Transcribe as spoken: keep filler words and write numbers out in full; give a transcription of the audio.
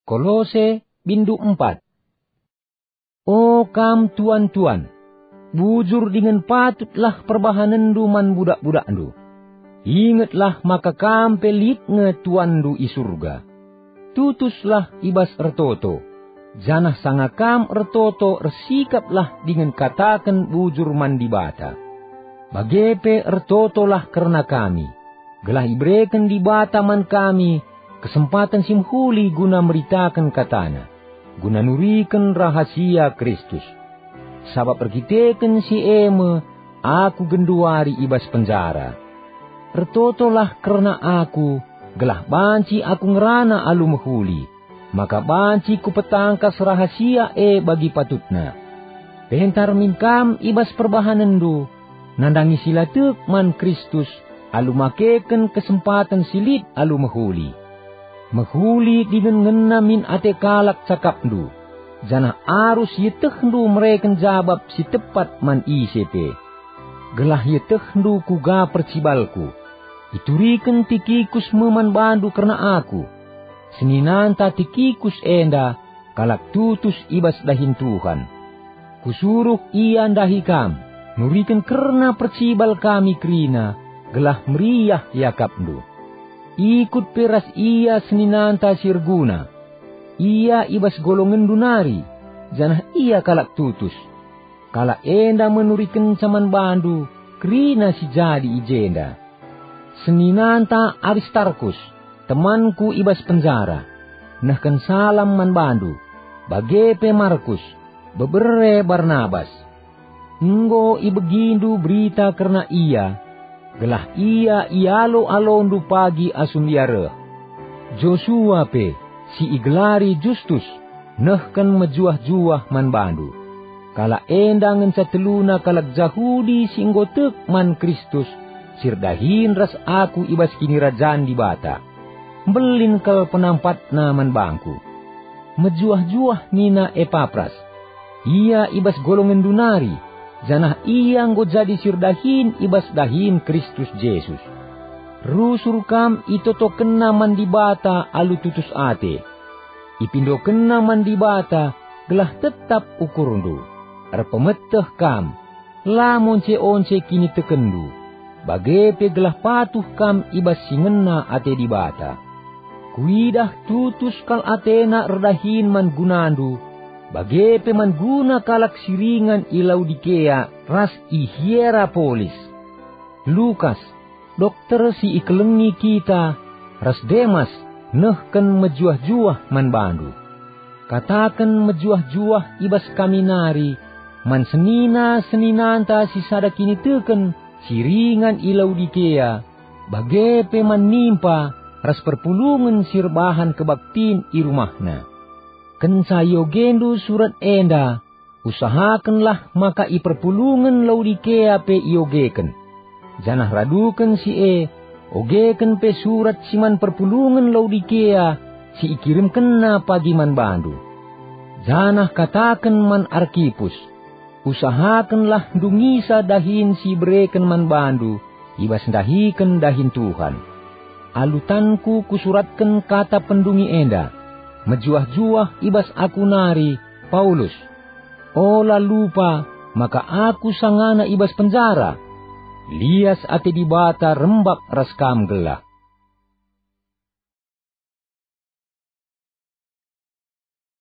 Kolose, bindu empat. O kam tuan-tuan, bujur dingen patutlah perbahanenndu man budak-budakndu. Ingetlah maka kam pe lit nge Tuanndu i Surga. Tutuslah i bas ertoto, janah sanga kam ertoto ersikaplah dingen kataken bujur man Dibata. Bage pe ertotolah kerna kami, gelah ibereken Dibata man kami kesempaten si mehuli guna meritaken kataNa, guna nuriken rahasia Kristus. Sabap erkiteken si e me aku genduari i bas penjara. Ertotolah kerna aku, gelah banci aku ngerana alu mehuli, maka banci kupetangkas rahasia e bagi patutna. Pentar min kam i bas perbahanenndu, nandangi si la tek man Kristus alu makeken kesempaten si lit alu mehuli. Mehuli dingen ngena min ate kalak cakapndu, janah arus ietehndu mereken jabap si tepat man ise pe. Gelah ietehndu kuga percibalku. Ituriken Tikikus me man bandu kerna aku. Seninanta Tikikus enda kalak tutus i bas dahin Tuhan. Kusuruh ia ndahi kam, nuriken kerna percibal kami kerina, gelah meriah iakapndu. Ikut pe ras ia seninanta si erguna. Ia i bas golongenndu nari, janah ia kalak tutus. Kalak enda me nurikenca man bandu kerina si jadi i jenda. Seninanta Aristarkus, temanku i bas penjara, nehken salam man bandu, bage pe Markus, bebere Barnabas. Enggo ibegindu berita kerna ia, gelah ia ialo-alondu pagi asum ia reh. Josua pe, si igelari Justus, nehken mejuah-juah man bandu. Kalak enda ngenca teluna kalak Jahudi si enggo tek man Kristus, si erdahin ras aku i bas Kinirajan Dibata. Mbelin kal penampatna man bangku. Mejuah-juah nina Epapras. Ia i bas golongenndu nari, janah ia enggo jadi si erdahin i bas dahin Kristus Jesus. Rusur kam itotokenna man Dibata alu tutus ate. Ipindokenna man Dibata gelah tetap ukurndu. Erpemeteh kam, la monce-once kinitekenndu, bage pe gelah patuh kam i bas si ngena ate Dibata. Kuidah tutus kal atena erdahin man gunandu, bage pe man guna kalak si ringan i Laodikea ras i Hierapolis. Lukas, dokter si ikelengi kita, ras Demas nehken mejuah-juah man bandu. Kataken mejuah-juah i bas kami nari man senina-seninanta si sada kiniteken si ringan i Laodikea, bage pe man Nimpa ras perpulungen si erbahan kebaktin i rumahna. Kenca iogendu surat enda, usahakenlah maka i perpulungen Laodikea pe iogeken. Janah raduken si e, ogeken pe surat si man perpulungen Laodikea si ikirimkenna pagi man bandu. Janah kataken man Arkipus, usahakenlah ndungisa dahin si ibereken man bandu i bas ndahiken dahin Tuhan. Alu tanku kusuratken kata pendungi enda, mejuah-juah i bas aku nari, Paulus. Ola lupa maka aku sangana i bas penjara. Lias ate Dibata rembak ras kam gelah.